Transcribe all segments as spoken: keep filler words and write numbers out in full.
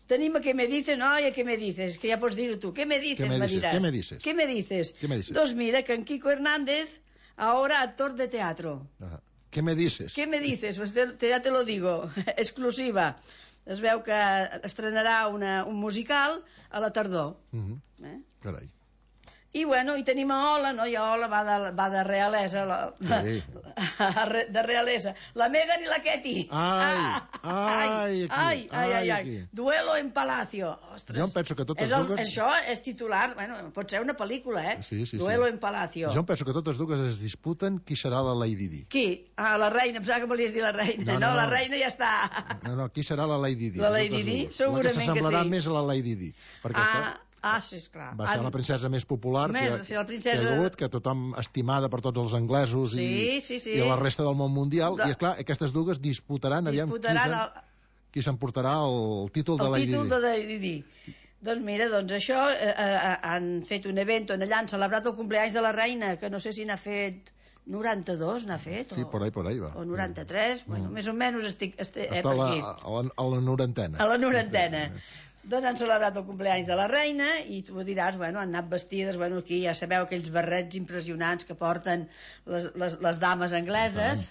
tenim a Què me dices, no, i a Què me dices, que ja pots dir-ho tu. Què me dices, me me dices? diràs. ¿Qué me dices? ¿Qué me dices? ¿Qué me dices? Doncs mira, que en Kiko Hernández, ahora actor de teatro. Ah, ¿qué me dices? ¿Qué me dices? Pues te, te, ja te lo digo, exclusiva. Es veu que estrenarà una, un musical a la tardor. Uh-huh. Eh? Carai. I bueno, i tenim a Ola, no? I a Ola va de, va de realesa, la, Sí. de realesa. La Megan i la Ketty. Ai, ai, ai, aquí, ai, ai, ai, aquí. Duelo en Palacio. Ostres. Jo em penso que totes és el, dues... Això és titular, bueno, pot ser una pel·lícula, eh? Sí, sí, Duelo sí. en Palacio. Jo em penso que totes dues es disputen qui serà la Lady Di. Qui? Ah, la reina, em pensava que volies dir la reina. No, No, no, no, la no. reina ja està. No, no, qui serà la Lady Di? La Lady Totes Di? dues. Segurament la que s'assemblarà que sí. més a la Lady Di. Perquè Ah, clar, ah, sí, esclar. va ser la princesa més popular Més, que, sí, la princesa... que hi ha hagut, que tothom estimada per tots els anglesos Sí, i, sí, sí. i la resta del món mundial. De... I, esclar, aquestes dues disputaran, aviam disputaran qui, el... qui s'emportarà el títol de el Lady Di. títol de Lady Di. Doncs mira, doncs això, eh, eh, han fet un event on allà han celebrat el cumpleaños de la reina, que no sé si n'ha fet noranta-dos, n'ha fet, Sí, o, por ahí, por ahí va. o noranta-tres, mm. bueno, més o menys estic, estic eh, Està per a la, aquí. a, la, a la norantena. A la norantena. Doncs han celebrat el cumpleaños de la reina i tu diràs, bueno, han anat vestides, bueno, aquí ja sabeu aquells barrets impressionants que porten les, les, les dames angleses,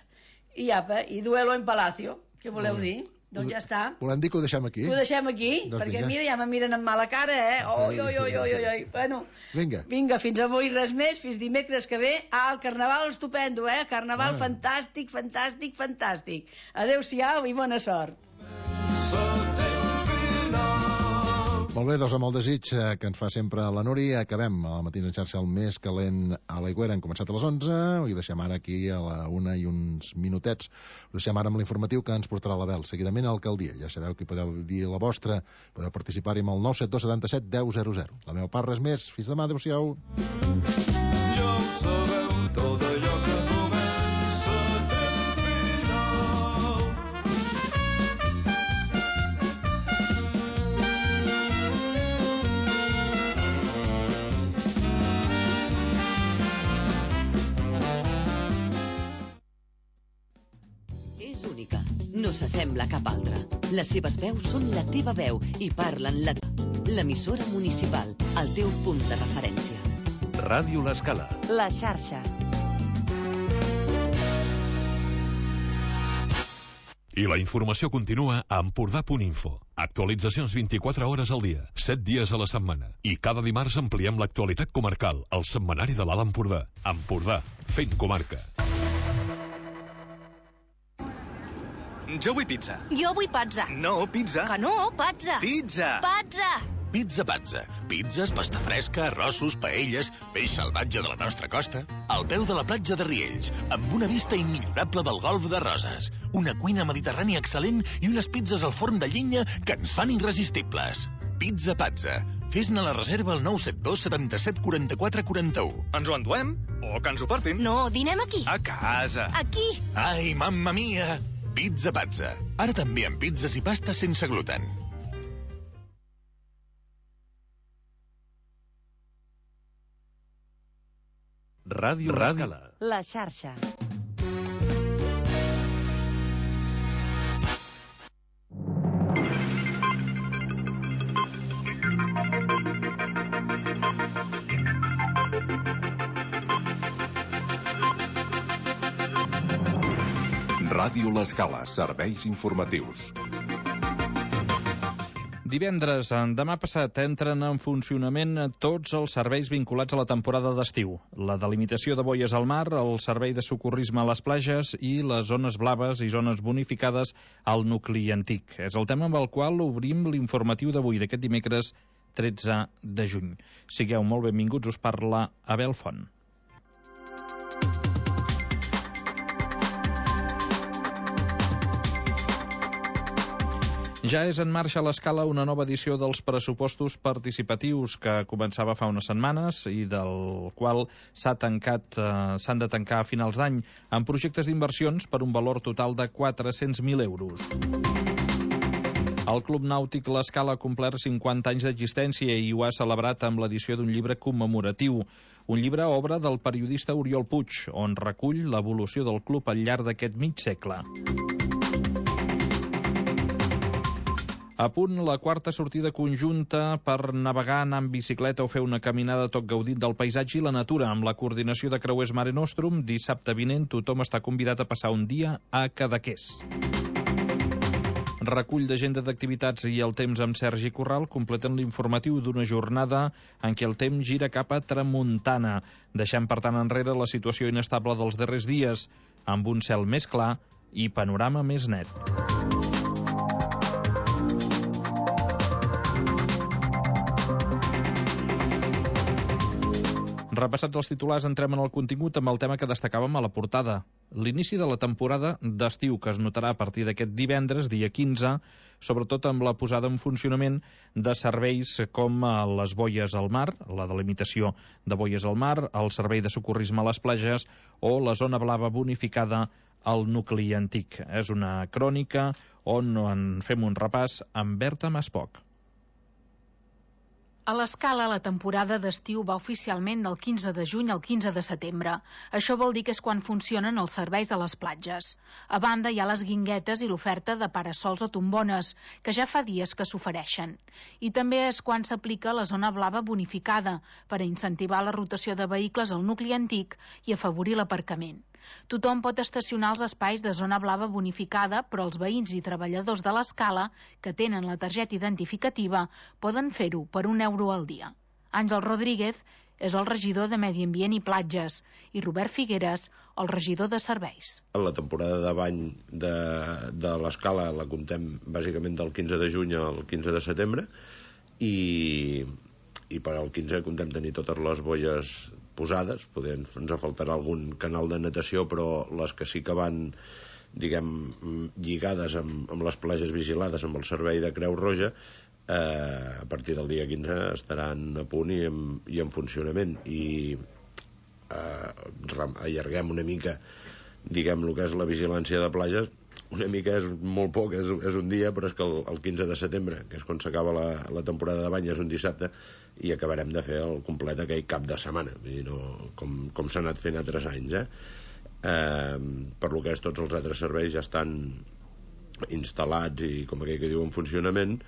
i apa, i duelo en palacio, què voleu dir? Doncs ja està. Volem dir que ho deixem aquí? Ho deixem aquí, doncs perquè vinga. mira, ja me miren amb mala cara, eh? Oi, oi, oi, oi, oi, oi. Bueno, vinga. Vinga, fins avui res més, fins dimecres que ve. Ah, el carnaval estupendo, eh? Carnaval ah. fantàstic, fantàstic, fantàstic. Adéu-siau i bona sort. Molt bé, doncs amb el desig que ens fa sempre la Núria, acabem a la matina en xarxa el més calent a l'Aigüera. Hem començat a les onze i deixem ara aquí a la una i uns minutets. Ho deixem ara amb l'informatiu que ens portarà l'Abel. Seguidament a l'alcaldia. Ja sabeu que podeu dir la vostra, podeu participar-hi amb el nou set dos setanta set deu zero zero. La meva part, res més. Fins demà, adéu-siau. Ja ho sabeu, tot allò que comença té un final. És única, no s'assembla a cap altra. Les seves veus són la teva veu i parlen la... L'emissora municipal, el teu punt de referència. Ràdio L'Escala. La xarxa. I la informació continua a Empordà punt info. Actualitzacions vint-i-quatre hores al dia, set dies a la setmana. I cada dimarts ampliem l'actualitat comarcal, al setmanari de l'Alt Empordà. Empordà, fent comarca. Jo vull pizza. Jo vull pizza. No, pizza. Que no, pizza. Pizza. Pizza. Pizza Pazza. Pizzas, pasta fresca, arrossos, paelles, peix salvatge de la nostra costa. Al peu de la platja de Riells, amb una vista immillorable del golf de Roses. Una cuina mediterrània excel·lent i unes pizzas al forn de llenya que ens fan irresistibles. Pizza Pazza. Fes-ne la reserva al nou set dos setanta-set quaranta-quatre quaranta-u. Ens ho enduem? O que ens ho portin? No, dinem aquí. A casa. Aquí. Ai, mamma mia! Pizza Pazza. Ara també amb pizzas i pastes sense gluten. Ràdio L'Escala. La xarxa. Ràdio L'Escala, serveis informatius. Divendres, demà passat, entren en funcionament tots els serveis vinculats a la temporada d'estiu. La delimitació de boies al mar, el servei de socorrisme a les platges i les zones blaves i zones bonificades al nucli antic. És el tema amb el qual obrim l'informatiu d'avui, d'aquest dimecres tretze de juny. Sigueu molt benvinguts, us parla Abel Font. Ja és en marxa a l'Escala una nova edició dels pressupostos participatius que començava fa unes setmanes i del qual s'ha tancat, eh, s'han de tancar a finals d'any amb projectes d'inversions per un valor total de quatre-cents mil euros. El Club Nàutic L'Escala ha complert cinquanta anys d'existència i ho ha celebrat amb l'edició d'un llibre commemoratiu. Un llibre obra del periodista Oriol Puig, on recull l'evolució del club al llarg d'aquest mig segle. A punt la quarta sortida conjunta per navegar, anar en bicicleta o fer una caminada tot gaudint del paisatge i la natura. Amb la coordinació de Creuers Mare Nostrum, dissabte vinent tothom està convidat a passar un dia a Cadaqués. Recull d'agenda d'activitats i el temps amb Sergi Corral completen l'informatiu d'una jornada en què el temps gira cap a tramuntana, deixant per tant enrere la situació inestable dels darrers dies, amb un cel més clar i panorama més net. Repassats els titulars, entrem en el contingut amb el tema que destacàvem a la portada. L'inici de la temporada d'estiu, que es notarà a partir d'aquest divendres, dia quinze, sobretot amb la posada en funcionament de serveis com les boies al mar, la delimitació de boies al mar, el servei de socorrisme a les platges o la zona blava bonificada al nucli antic. És una crònica on en fem un repàs amb Berta Maspoc. A l'Escala, la temporada d'estiu va oficialment del quinze de juny al quinze de setembre. Això vol dir que és quan funcionen els serveis a les platges. A banda, hi ha les guinguetes i l'oferta de parasols o tombones, que ja fa dies que s'ofereixen. I també és quan s'aplica la zona blava bonificada, per a incentivar la rotació de vehicles al nucli antic i afavorir l'aparcament. Tothom pot estacionar als espais de zona blava bonificada, però els veïns i treballadors de l'Escala, que tenen la targeta identificativa, poden fer-ho per un euro al dia. Àngel Rodríguez és el regidor de Medi Ambient i Platges i Robert Figueres, el regidor de Serveis. La temporada de bany de, de l'Escala la comptem bàsicament del quinze de juny al quinze de setembre i, i per al quinze comptem tenir totes les boies posades. Podem, ens faltarà algun canal de natació, però les que sí que van, diguem, lligades amb, amb les platges vigilades amb el servei de Creu Roja, eh, a partir del dia quinze estaran a punt i en, i en funcionament. I eh, allarguem una mica, diguem, el que és la vigilància de platges. Una mica és molt poc, és, és un dia, però és que el, el quinze de setembre, que és quan s'acaba la, la temporada de bany, és un dissabte, i acabarem de fer el complet aquell cap de setmana, vull dir, no, com, com s'ha anat fent altres anys. Eh? Eh, per lo que és, tots els altres serveis ja estan instal·lats i, com aquell que diu, en funcionament,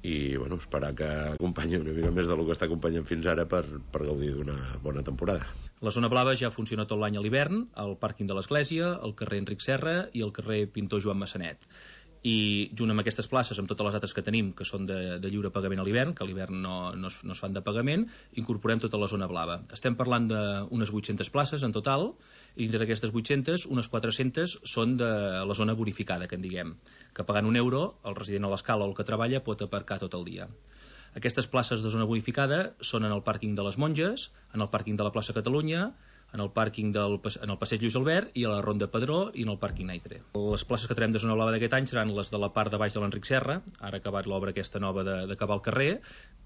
i bueno, esperar que acompanyi una mica més del que està acompanyant fins ara per, per gaudir d'una bona temporada. La zona blava ja funciona tot l'any a l'hivern, al pàrquing de l'Església, al carrer Enric Serra i al carrer Pintor Joan Massanet. I junt amb aquestes places, amb totes les altres que tenim, que són de, de lliure pagament a l'hivern, que a l'hivern no, no, es, no es fan de pagament, incorporem tota la zona blava. Estem parlant d'unes vuit-centes places en total, i dintre d'aquestes vuit-centes, unes quatre-centes són de la zona bonificada, que en diguem, que pagant un euro, el resident a l'Escala o el que treballa pot aparcar tot el dia. Aquestes places de zona bonificada són en el pàrquing de les Monges, en el pàrquing de la plaça Catalunya, en el pàrquing del en el passeig Lluís Albert i a la Ronda Padró i en el pàrquing Naitre. Les places que tenim de zona blava d'aquest any seran les de la part de baix de l'Enric Serra, ara ha acabat l'obra aquesta nova d'acabar el carrer,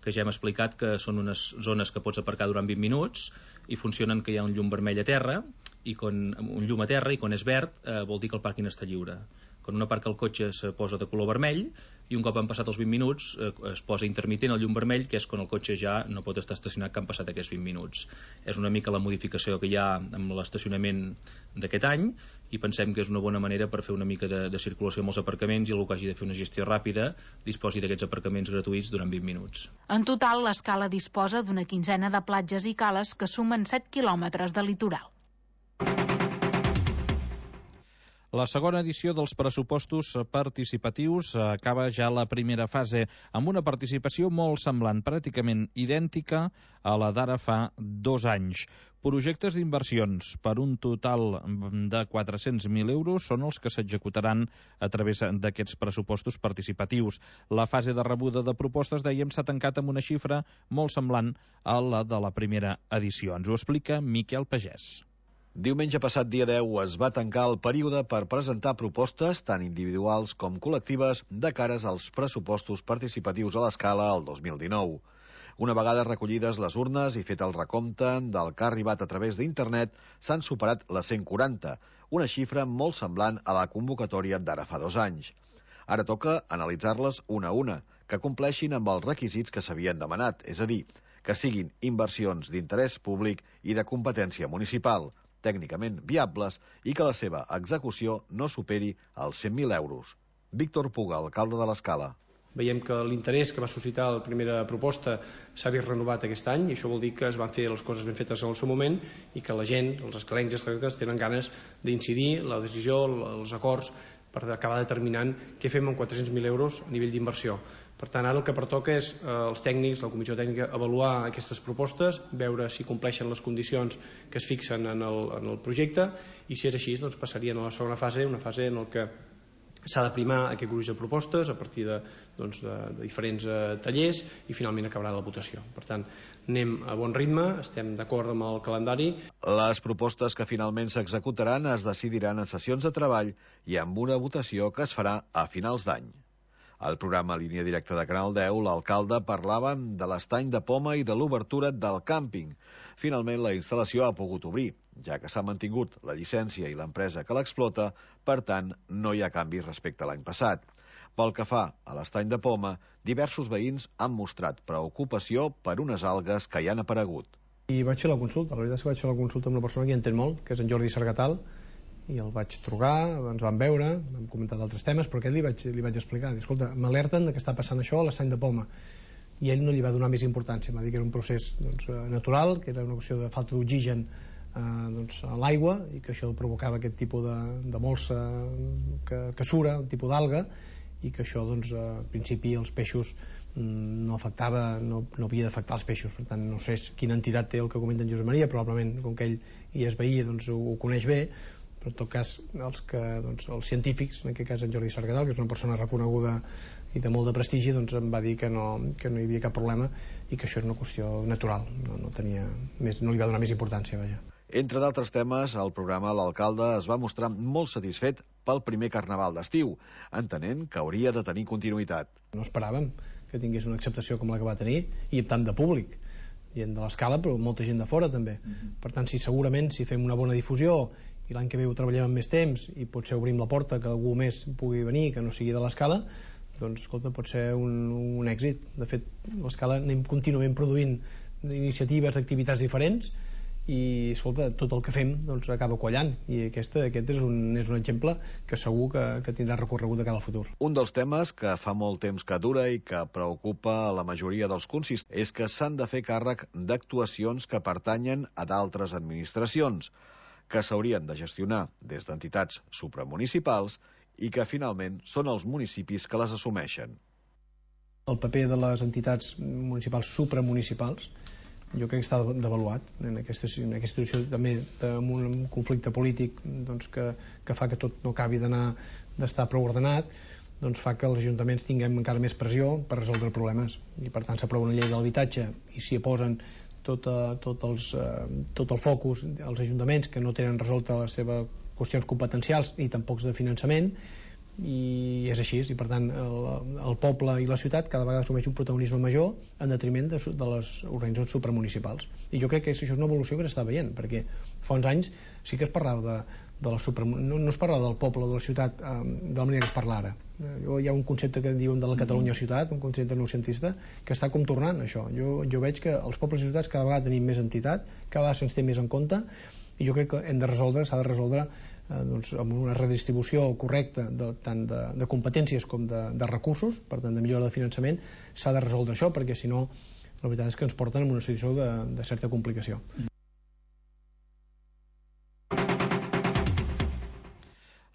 que ja hem explicat que són unes zones que pots aparcar durant vint minuts i funcionen que hi ha un llum vermell a terra i quan, un llum a terra i quan és verd eh, vol dir que el pàrquing està lliure. Quan un aparca el cotxe se posa de color vermell i un cop han passat els vint minuts eh, es posa intermitent el llum vermell, que és quan el cotxe ja no pot estar estacionat que han passat aquests vint minuts. És una mica la modificació que hi ha amb l'estacionament d'aquest any i pensem que és una bona manera per fer una mica de, de circulació amb els aparcaments i algú que hagi de fer una gestió ràpida disposi d'aquests aparcaments gratuïts durant vint minuts. En total, l'Escala disposa d'una quinzena de platges i cales que sumen set quilòmetres de litoral. La segona edició dels pressupostos participatius acaba ja la primera fase, amb una participació molt semblant, pràcticament idèntica a la d'ara fa dos anys. Projectes d'inversions per un total de quatre-cents mil euros són els que s'executaran a través d'aquests pressupostos participatius. La fase de rebuda de propostes, dèiem, s'ha tancat amb una xifra molt semblant a la de la primera edició. Ens ho explica Miquel Pagès. Diumenge passat, dia deu, es va tancar el període per presentar propostes, tant individuals com col·lectives, de cares als pressupostos participatius a l'Escala el dos mil dinou. Una vegada recollides les urnes i fet el recompte del que ha arribat a través d'internet, s'han superat les cent quaranta, una xifra molt semblant a la convocatòria d'ara fa dos anys. Ara toca analitzar-les una a una, que compleixin amb els requisits que s'havien demanat, és a dir, que siguin inversions d'interès públic i de competència municipal, tècnicament viables i que la seva execució no superi els cent mil euros. Víctor Puga, alcalde de l'Escala. Veiem que l'interès que va suscitar la primera proposta s'ha vist renovat aquest any, i això vol dir que es van fer les coses ben fetes en el seu moment i que la gent, els escalencs i escalenques, tenen ganes d'incidir la decisió, els acords, per acabar determinant què fem amb quatre-cents mil euros a nivell d'inversió. Per tant, ara el que pertoca és eh, els tècnics, la comissió tècnica, avaluar aquestes propostes, veure si compleixen les condicions que es fixen en el, en el projecte, i si és així, doncs passarien a la segona fase, una fase en què s'ha de primar aquest gruix de propostes a partir de, doncs, de, de diferents eh, tallers, i finalment acabarà la votació. Per tant, anem a bon ritme, estem d'acord amb el calendari. Les propostes que finalment s'executaran es decidiran en sessions de treball i amb una votació que es farà a finals d'any. Al programa Línia Directa de Canal deu, l'alcalde parlava de l'estany de poma i de l'obertura del càmping. Finalment, la instal·lació ha pogut obrir, ja que s'ha mantingut la llicència i l'empresa que l'explota, per tant, no hi ha canvis respecte a l'any passat. Pel que fa a l'estany de poma, diversos veïns han mostrat preocupació per unes algues que hi han aparegut. I vaig fer la consulta, la veritat és que vaig fer la consulta amb una persona que hi entén molt, que és en Jordi Sargatal, i el vaig trucar, ens vam veure, vam comentar d'altres temes, però aquest li vaig, li vaig explicar, escolta, m'alerten que està passant això a l'estany de poma, i ell no li va donar més importància, va dir que era un procés doncs, natural, que era una qüestió de falta d'oxigen eh, doncs, a l'aigua, i que això provocava aquest tipus de, de molsa que, que sura, un tipus d'alga, i que això doncs, al principi els peixos no afectava, no, no havia d'afectar els peixos. Per tant, no sé quina entitat té el que comenta en Josep Maria, probablement com que ell hi és veí, doncs, ho, ho coneix bé, però en tot cas els, que, doncs, els científics, en aquest cas en Jordi Sargatal, que és una persona reconeguda i de molt de prestigi, doncs em va dir que no, que no hi havia cap problema i que això era una qüestió natural, no, no, tenia més, no li va donar més importància, vaja. Entre d'altres temes, al programa l'alcalde es va mostrar molt satisfet pel primer carnaval d'estiu, entenent que hauria de tenir continuïtat. No esperàvem que tingués una acceptació com la que va tenir, i tant de públic, gent de l'escala, però molta gent de fora també. Per tant, si segurament si fem una bona difusió i l'any que ve ho treballem amb més temps i potser obrim la porta que algú més pugui venir que no sigui de l'escala, doncs escolta, pot ser un, un èxit. De fet, l'escala anem contínuament produint iniciatives, activitats diferents, i escolta, tot el que fem doncs, acaba quallant, i aquesta, aquest és un, és un exemple que segur que, que tindrà recorregut de cara al futur. Un dels temes que fa molt temps que dura i que preocupa a la majoria dels consistents és que s'han de fer càrrec d'actuacions que pertanyen a d'altres administracions, que s'haurien de gestionar des d'entitats supramunicipals i que finalment són els municipis que les assumeixen. El paper de les entitats municipals supramunicipals jo crec que està devaluat en aquesta, en aquesta situació també amb un conflicte polític doncs, que, que fa que tot no acabi d'anar d'estar prou ordenat, doncs fa que els ajuntaments tinguem encara més pressió per resoldre problemes, i per tant s'aprova una llei de l'habitatge i s'hi posen tot, uh, tot, els, uh, tot el focus als ajuntaments que no tenen resolta les seves qüestions competencials i tampoc de finançament, i és així, i per tant el, el poble i la ciutat cada vegada assumeix un protagonisme major en detriment de, de les organitzacions supramunicipals, i jo crec que això és una evolució que s'està veient, perquè fa uns anys sí que es parlava de, de la supra, no, no es parlava del poble o de la ciutat eh, de la manera que es parla ara. Eh, hi ha un concepte que diuen de la Catalunya ciutat, un concepte noucentista, que està com tornant això. Jo, jo veig que els pobles i ciutats cada vegada tenim més entitat, cada vegada se'ns té més en compte, i jo crec que hem de resoldre, s'ha de resoldre eh, doncs, amb una redistribució correcta de, tant de, de competències com de, de recursos, per tant de millora de finançament, s'ha de resoldre això, perquè si no la veritat és que ens porten en una situació de, de certa complicació.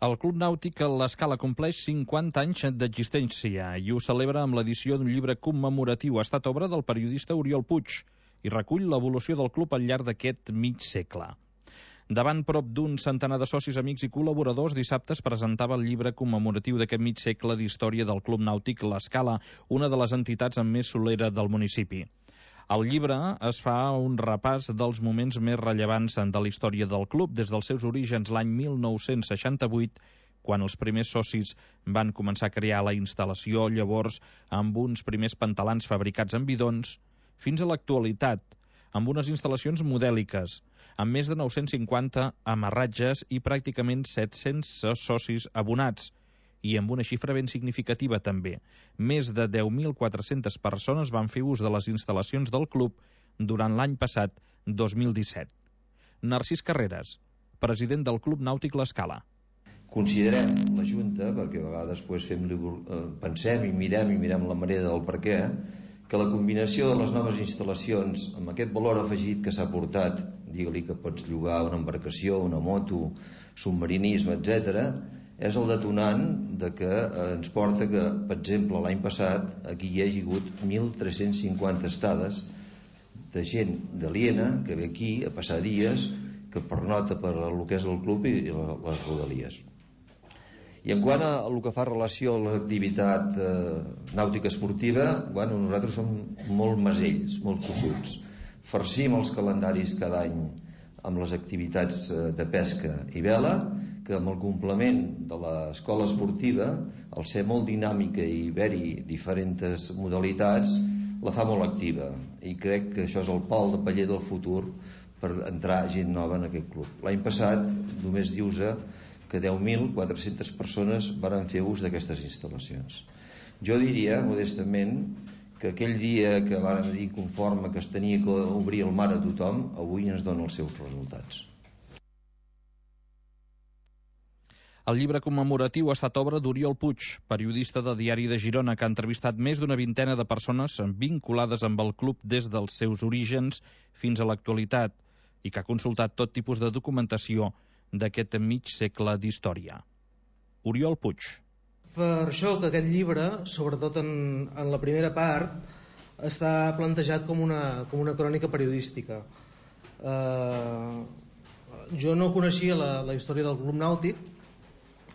El Club Nàutic l'Escala compleix cinquanta anys d'existència i ho celebra amb l'edició d'un llibre commemoratiu. Ha estat obra del periodista Oriol Puig i recull l'evolució del club al llarg d'aquest mig segle. Davant prop d'un centenar de socis, amics i col·laboradors, dissabte es presentava el llibre commemoratiu d'aquest mig segle d'història del Club Nàutic l'Escala, una de les entitats amb més solera del municipi. Al llibre es fa un repàs dels moments més rellevants de la història del club, des dels seus orígens l'any mil nou-cents seixanta-vuit, quan els primers socis van començar a crear la instal·lació, llavors amb uns primers pantalans fabricats en bidons, fins a l'actualitat, amb unes instal·lacions modèliques, amb més de nou-cents cinquanta amarratges i pràcticament set-cents socis abonats, i amb una xifra ben significativa també. Més de deu mil quatre-centes persones van fer ús de les instal·lacions del club durant l'any passat, dos mil disset. Narcís Carreras, president del Club Nàutic l'Escala. Considerem, la Junta, perquè a vegades després fem, pensem i mirem i mirem la manera del per què, que la combinació de les noves instal·lacions amb aquest valor afegit que s'ha portat, digue-li que pots llogar una embarcació, una moto, submarinisme, etcètera, és el detonant de que ens porta que, per exemple, l'any passat aquí hi hagi hagut mil tres-cents cinquanta estades de gent d'aliena que ve aquí a passar dies, que pernota per el que és el club i les rodalies. I en quant a el que fa relació a l'activitat eh, nàutica esportiva, bueno, nosaltres som molt masells, molt tossuts. Farcim els calendaris cada any amb les activitats de pesca i vela, que amb el complement de l'escola esportiva, al ser molt dinàmica i haver-hi diferents modalitats, la fa molt activa. I crec que això és el pal de paller del futur per entrar gent nova en aquest club. L'any passat, només dius-se que deu mil quatre-centes persones van fer ús d'aquestes instal·lacions. Jo diria, modestament, que aquell dia que van dir conforme que es tenia que obrir el mar a tothom, avui ens dona els seus resultats. El llibre commemoratiu ha estat obra d'Oriol Puig, periodista de Diari de Girona, que ha entrevistat més d'una vintena de persones vinculades amb el club des dels seus orígens fins a l'actualitat i que ha consultat tot tipus de documentació d'aquest mig segle d'història. Oriol Puig. Per això que aquest llibre, sobretot en, en la primera part, està plantejat com una, com una crònica periodística. Eh, jo no coneixia la, la història del Club Nàutic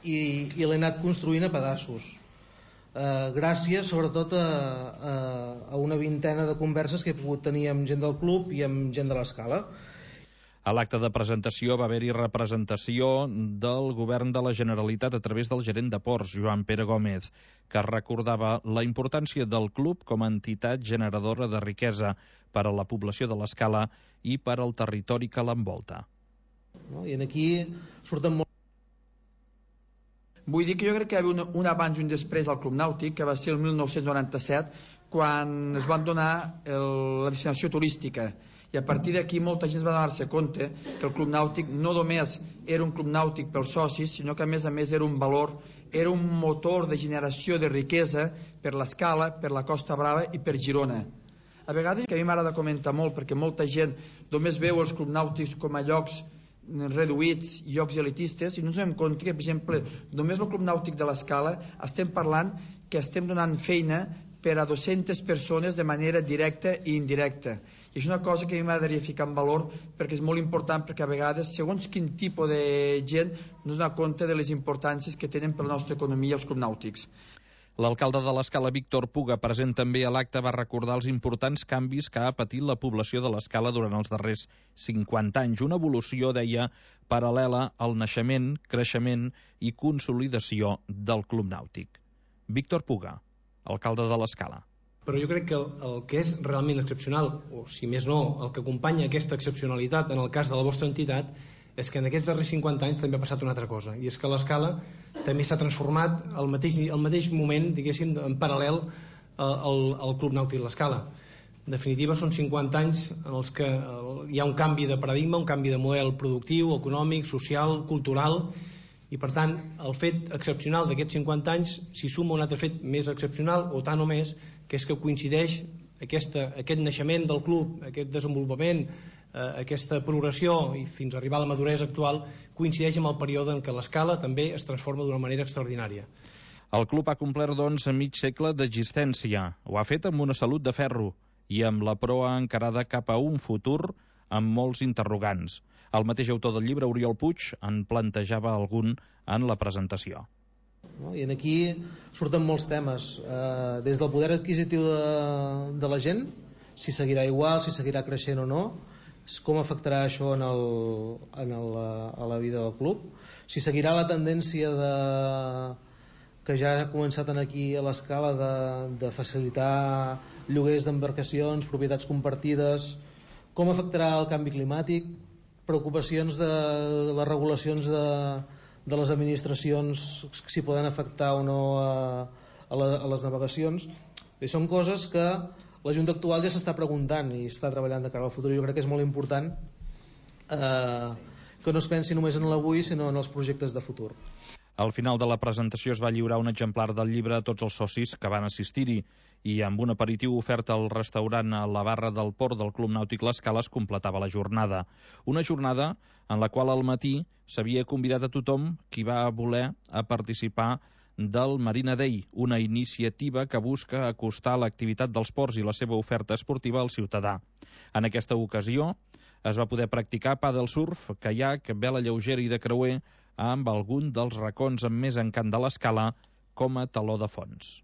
i, i l'he anat construint a pedaços. Eh, gràcies sobretot a, a, a una vintena de converses que he pogut tenir amb gent del club i amb gent de l'Escala. A l'acte de presentació va haver-hi representació del govern de la Generalitat a través del gerent de ports, Joan Pere Gómez, que recordava la importància del club com a entitat generadora de riquesa per a la població de l'Escala i per al territori que l'envolta. No? I aquí surten molt... Vull dir que jo crec que hi havia un, un abans i un després al Club Nàutic, que va ser el mil nou-cents noranta-set, quan es van donar el, la destinació turística. I a partir d'aquí molta gent va donar-se compte que el Club Nàutic no només era un club nàutic pels socis, sinó que a més a més era un valor, era un motor de generació de riquesa per l'Escala, per la Costa Brava i per Girona. A vegades, que a mi m'agrada comentar molt, perquè molta gent només veu els clubs nàutics com a llocs reduïts, llocs elitistes, i no ens donem compte que, per exemple, només el Club Nàutic de l'Escala estem parlant que estem donant feina per a dues-centes persones de manera directa i indirecta. I és una cosa que a mi m'agradaria ficar en valor perquè és molt important, perquè a vegades, segons quin tipus de gent, no es dona compte de les importàncies que tenen per la nostra economia els clubs nàutics. L'alcalde de l'Escala, Víctor Puga, present també a l'acte, va recordar els importants canvis que ha patit la població de l'Escala durant els darrers cinquanta anys. Una evolució, deia, paral·lela al naixement, creixement i consolidació del Club Nàutic. Víctor Puga, alcalde de l'Escala. Però jo crec que el, el que és realment excepcional, o si més no, el que acompanya aquesta excepcionalitat en el cas de la vostra entitat, és que en aquests darrers cinquanta anys també ha passat una altra cosa, i és que l'Escala també s'ha transformat al mateix, al mateix moment, diguéssim, en paral·lel al, al Club Nàutic l'Escala. En definitiva, són cinquanta anys en els que hi ha un canvi de paradigma, un canvi de model productiu, econòmic, social, cultural, i per tant el fet excepcional d'aquests cinquanta anys s'hi suma un altre fet més excepcional, o tant o més, que és que coincideix aquesta, aquest naixement del club, aquest desenvolupament, eh, aquesta progressió i fins a arribar a la maduresa actual, coincideix amb el període en què l'Escala també es transforma d'una manera extraordinària. El club ha complert, doncs, mig segle d'existència. Ho ha fet amb una salut de ferro i amb la proa encarada cap a un futur amb molts interrogants. El mateix autor del llibre, Oriol Puig, en plantejava algun en la presentació. No? I aquí surten molts temes, eh, des del poder adquisitiu de, de la gent, si seguirà igual, si seguirà creixent o no, com afectarà això en el, en el, a la vida del club, si seguirà la tendència de, que ja ha començat aquí a l'Escala de, de facilitar lloguers d'embarcacions, propietats compartides, com afectarà el canvi climàtic, preocupacions de, de les regulacions de, de les administracions, si poden afectar o no a, a, la, a les navegacions. I són coses que la Junta actual ja s'està preguntant i està treballant de cara al futur. Jo crec que és molt important eh, que no es pensi només en l'avui, sinó en els projectes de futur. Al final de la presentació es va lliurar un exemplar del llibre a tots els socis que van assistir-hi i amb un aperitiu ofert al restaurant a la barra del port del Club Nàutic L'Escala es completava la jornada. Una jornada en la qual al matí s'havia convidat a tothom qui va voler a participar del Marina Day, una iniciativa que busca acostar l'activitat dels ports i la seva oferta esportiva al ciutadà. En aquesta ocasió es va poder practicar pàdel surf, caiac, vela lleugera i de creuer amb algun dels racons amb més encant de l'Escala com a taló de fons.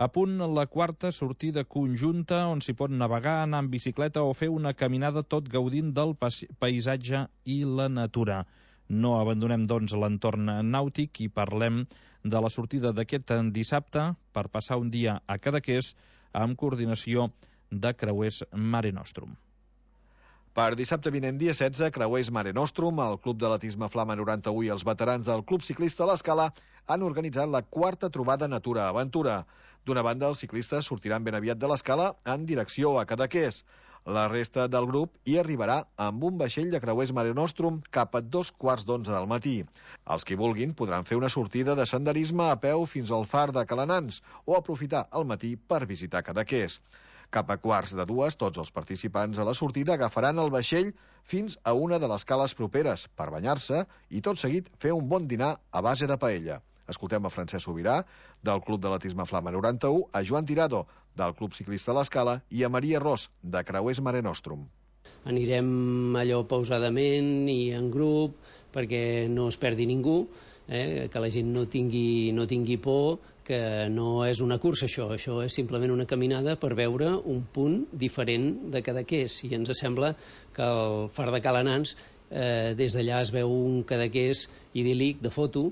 A punt la quarta sortida conjunta on s'hi pot navegar, anar en bicicleta o fer una caminada tot gaudint del paisatge i la natura. No abandonem, doncs, l'entorn nàutic i parlem de la sortida d'aquest dissabte per passar un dia a Cadaqués amb coordinació de Creuers Mare Nostrum. Per dissabte vinent, dia setze, Creuers Mare Nostrum, el Club d'Atletisme Flama noranta-u i els veterans del Club Ciclista L'Escala han organitzat la quarta trobada Natura Aventura. D'una banda, els ciclistes sortiran ben aviat de l'Escala en direcció a Cadaqués. La resta del grup hi arribarà amb un vaixell de Creuers Mare Nostrum cap a dos quarts d'onze del matí. Els que vulguin podran fer una sortida de senderisme a peu fins al far de Calanans o aprofitar el matí per visitar Cadaqués. Cap a quarts de dues, tots els participants a la sortida agafaran el vaixell fins a una de les cales properes per banyar-se i tot seguit fer un bon dinar a base de paella. Escoltem a Francesc Sobirà, del Club d'Atletisme Flama noranta-u, a Joan Tirado, del Club Ciclista L'Escala, i a Maria Ros, de Creuers Mare Nostrum. Anirem allò pausadament i en grup perquè no es perdi ningú, eh? que la gent no tingui, no tingui por, que no és una cursa això, això és simplement una caminada per veure un punt diferent de Cadaqués, i ens sembla que el far de Calanans, eh, des d'allà es veu un Cadaqués idíl·lic de foto,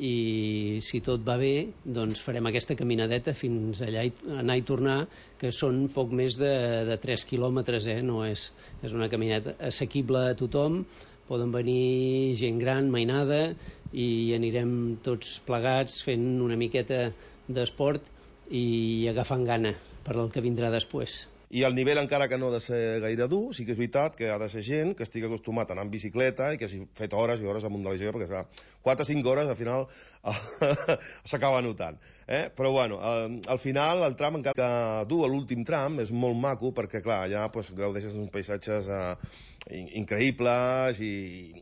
i si tot va bé doncs farem aquesta caminadeta fins allà i anar i tornar, que són poc més de, de tres quilòmetres, eh? No és, és una caminata assequible a tothom, poden venir gent gran, mainada, i anirem tots plegats fent una miqueta d'esport i agafant gana per al que vindrà després. I el nivell, encara que no ha de ser gaire dur, sí que és veritat que ha de ser gent que estigui acostumat a anar en bicicleta i que hagi fet hores i hores amunt de la bicicleta, perquè clar, quatre o cinc hores al final s'acaba notant. Eh? Però bueno, al, al final el tram encara que dur, l'últim tram, és molt maco perquè clar, allà pues, gaudeixes d'uns paisatges eh, increïbles i,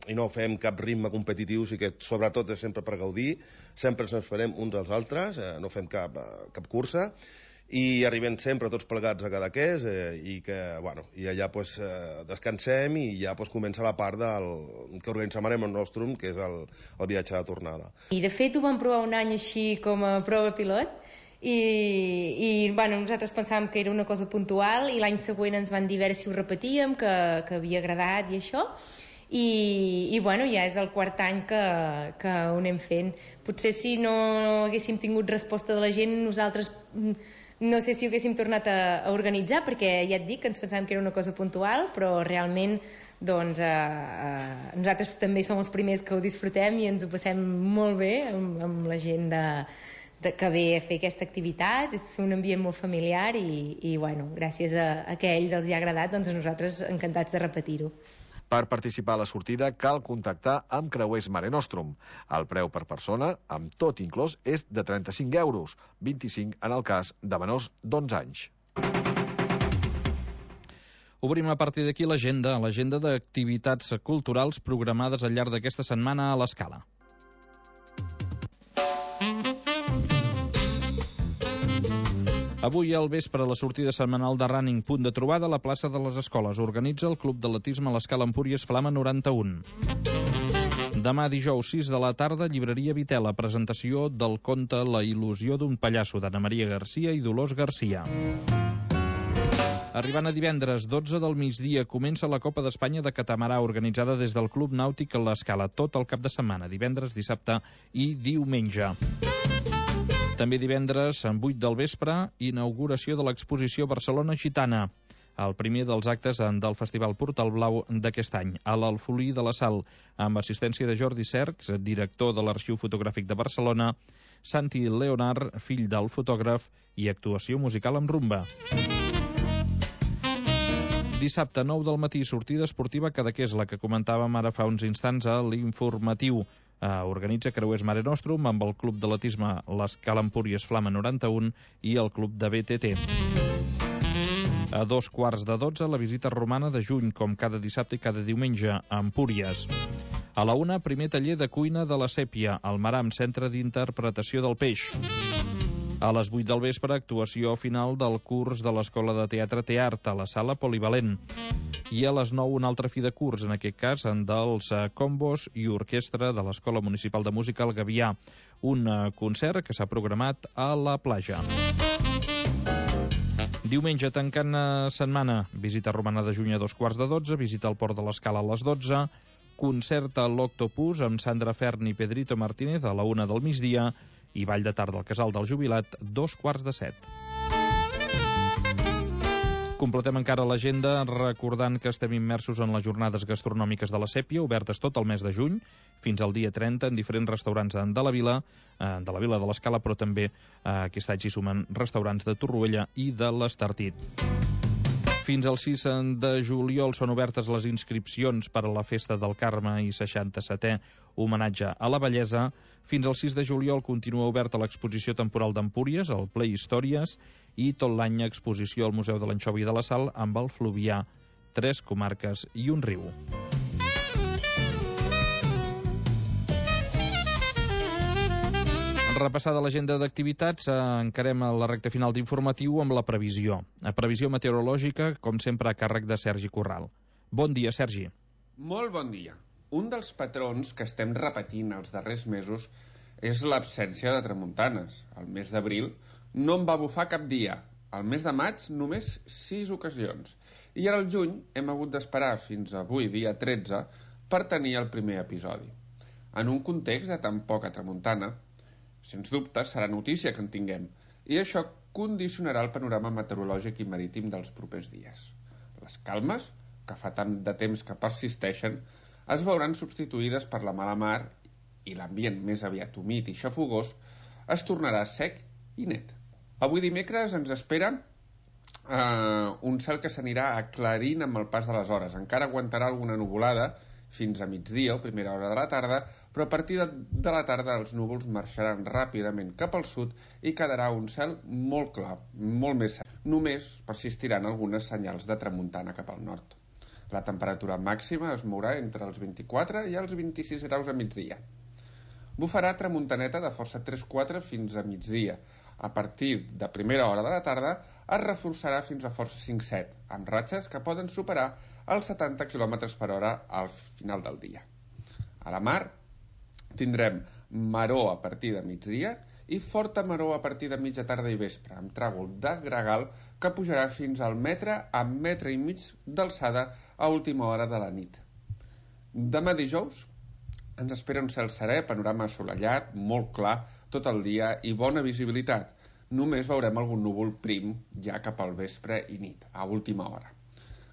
i no fem cap ritme competitiu, sí que sobretot és sempre per gaudir, sempre ens esperem uns als altres, eh, no fem cap, cap cursa, i arribem sempre tots plegats a Cadaqués eh, i que, bueno, i allà pues, eh, descansem i ja pues, comença la part del, que organitzem Mare Nostrum, que és el, el viatge de tornada. I de fet ho vam provar un any així com a prova pilot i, i bueno, nosaltres pensàvem que era una cosa puntual i l'any següent ens van dir a veure si ho repetíem, que, que havia agradat i això. I, i bueno, ja és el quart any que, que ho anem fent. Potser si no haguéssim tingut resposta de la gent, nosaltres no sé si ho haguéssim tornat a, a organitzar, perquè ja et dic que ens pensàvem que era una cosa puntual, però realment doncs, eh, eh, nosaltres també som els primers que ho disfrutem i ens ho passem molt bé amb, amb la gent de, de, que ve a fer aquesta activitat. És un ambient molt familiar i, i bueno, gràcies a, a que a ells els hi ha agradat, doncs a nosaltres encantats de repetir-ho. Per participar a la sortida cal contactar amb Creuers Mare Nostrum. El preu per persona, amb tot inclòs, és de trenta-cinc euros, vint-i-cinc en el cas de menors d'onze anys. Obrim a partir d'aquí l'agenda, l'agenda d'activitats culturals programades al llarg d'aquesta setmana a l'Escala. Avui al vespre, la sortida setmanal de Running, punt de trobada a la plaça de les Escoles. Organitza el Club d'Atletisme a l'Escala Empúries Flama noranta-u. Demà dijous, sis de la tarda, llibreria Vitela, presentació del conte La il·lusió d'un pallasso, d'Anna Maria Garcia i Dolors Garcia. Arribant a divendres, dotze del migdia, comença la Copa d'Espanya de Catamarà, organitzada des del Club Nàutic a l'Escala, tot el cap de setmana, divendres, dissabte i diumenge. També divendres, en vuit del vespre, inauguració de l'exposició Barcelona Gitana, el primer dels actes del Festival Portal Blau d'aquest any, a l'Alfolí de la Sal, amb assistència de Jordi Cercs, director de l'Arxiu Fotogràfic de Barcelona, Santi Leonard, fill del fotògraf, i actuació musical amb rumba. Dissabte, nou del matí, sortida esportiva Cadaqués, la que comentàvem ara fa uns instants a l'informatiu. Eh, organitza Creuers Mare Nostrum amb el Club d'Atletisme l'Escala Empúries Flama noranta-un i el Club de B T T. A dos quarts de dotze, la visita romana de juny, com cada dissabte i cada diumenge, a Empúries. A la una, primer taller de cuina de la Sèpia, al Maram, Centre d'Interpretació del Peix. A les vuit del vespre, actuació final del curs de l'Escola de Teatre Teart a la Sala Polivalent. I a les nou, un altre fi de curs, en aquest cas en dels combos i orquestra de l'Escola Municipal de Música al Gavià. Un concert que s'ha programat a la platja. Diumenge, tancant setmana, visita romana de juny a dos quarts de dotze, visita al Port de l'Escala a les dotze, concert a l'Octopus amb Sandra Fern i Pedrito Martínez a la una del migdia i ball de tarda al Casal del Jubilat, dos quarts de set. Completem encara l'agenda recordant que estem immersos en les jornades gastronòmiques de la Sèpia, obertes tot el mes de juny, fins al dia trenta, en diferents restaurants de la vila, eh, de la vila de l'Escala, però també eh, aquest any s'hi sumen restaurants de Torroella i de l'Estartit. Fins al sis de juliol són obertes les inscripcions per a la Festa del Carme i seixanta-setè homenatge a la bellesa. Fins al sis de juliol continua oberta l'exposició temporal d'Empúries, el Ple Històries, i tot l'any exposició al Museu de l'Anxova i de la Sal amb el Fluvià, tres comarques i un riu. Repassada l'agenda d'activitats, eh, encarem a la recta final d'informatiu amb la previsió. La previsió meteorològica, com sempre, a càrrec de Sergi Corral. Bon dia, Sergi. Molt bon dia. Un dels patrons que estem repetint els darrers mesos és l'absència de tramuntanes. El mes d'abril no en va bufar cap dia. Al mes de maig, només sis ocasions. I ara al juny hem hagut d'esperar fins avui, dia tretze, per tenir el primer episodi. En un context de tan poca tramuntana, sens dubte serà notícia que en tinguem, i això condicionarà el panorama meteorològic i marítim dels propers dies. Les calmes, que fa tant de temps que persisteixen, es veuran substituïdes per la mala mar i l'ambient més aviat humit i xafogós es tornarà sec i net. Avui dimecres ens espera eh, un cel que s'anirà aclarint amb el pas de les hores. Encara aguantarà alguna nuvolada fins a migdia o primera hora de la tarda, però a partir de, de la tarda els núvols marxaran ràpidament cap al sud i quedarà un cel molt clar, molt més sec. Només persistiran algunes senyals de tramuntana cap al nord. La temperatura màxima es mourà entre els vint-i-quatre i els vint-i-sis graus a migdia. Bufarà tramuntaneta de força tres quatre fins a migdia. A partir de primera hora de la tarda es reforçarà fins a força cinc set, amb ratxes que poden superar els setanta quilòmetres per hora al final del dia. A la mar tindrem maror a partir de migdia i forta maror a partir de mitja tarda i vespre, amb tràgol de gregal que pujarà fins al metre a metre i mig d'alçada a última hora de la nit. Demà dijous ens espera un cel serè, panorama assolellat, molt clar, tot el dia i bona visibilitat. Només veurem algun núvol prim ja cap al vespre i nit, a última hora.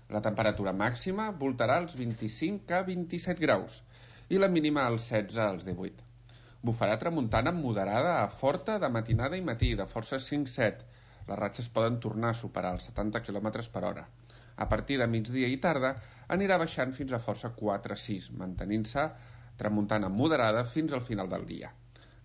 La temperatura màxima voltarà als vint-i-cinc a vint-i-set graus i la mínima als setze als divuit. Bufarà tramuntana moderada a forta de matinada i matí, de força cinc set. Les ratxes poden tornar a superar els setanta quilòmetres per hora. A partir de migdia i tarda anirà baixant fins a força quatre sis, mantenint-se tramuntana moderada fins al final del dia.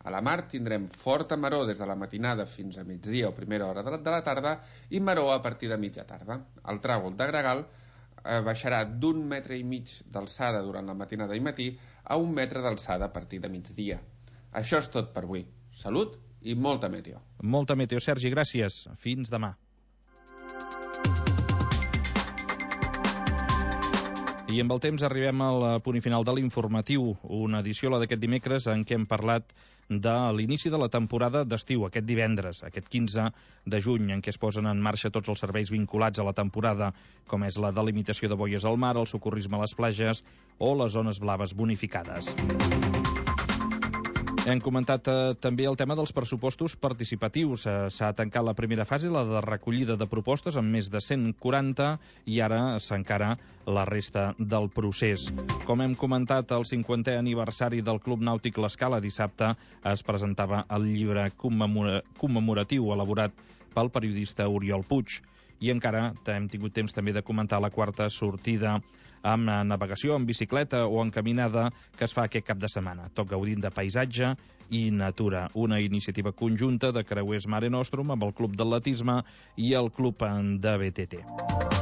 A la mar tindrem forta maror des de la matinada fins a migdia o primera hora de la tarda i maror a partir de mitja tarda. El tràgol de gregal eh, baixarà d'un metre i mig d'alçada durant la matinada i matí a un metre d'alçada a partir de migdia. Això és tot per avui. Salut i molta meteo. Molta meteo, Sergi, gràcies. Fins demà. I amb el temps arribem al punt final de l'informatiu, una edició, la d'aquest dimecres, en què hem parlat de l'inici de la temporada d'estiu, aquest divendres, aquest quinze de juny, en què es posen en marxa tots els serveis vinculats a la temporada, com és la delimitació de boies al mar, el socorrisme a les platges o les zones blaves bonificades. Hem comentat eh, també el tema dels pressupostos participatius. Eh, S'ha tancat la primera fase, la de recollida de propostes, amb més de cent quaranta, i ara s'encara la resta del procés. Com hem comentat, el cinquantè aniversari del Club Nàutic L'Escala dissabte es presentava el llibre commemora- commemoratiu elaborat pel periodista Oriol Puig. i encara hem tingut temps també de comentar la quarta sortida amb navegació, en bicicleta o en caminada que es fa aquest cap de setmana, tot gaudint de paisatge i natura. Una iniciativa conjunta de Creuers Mare Nostrum amb el Club d'Atletisme i el Club de B T T.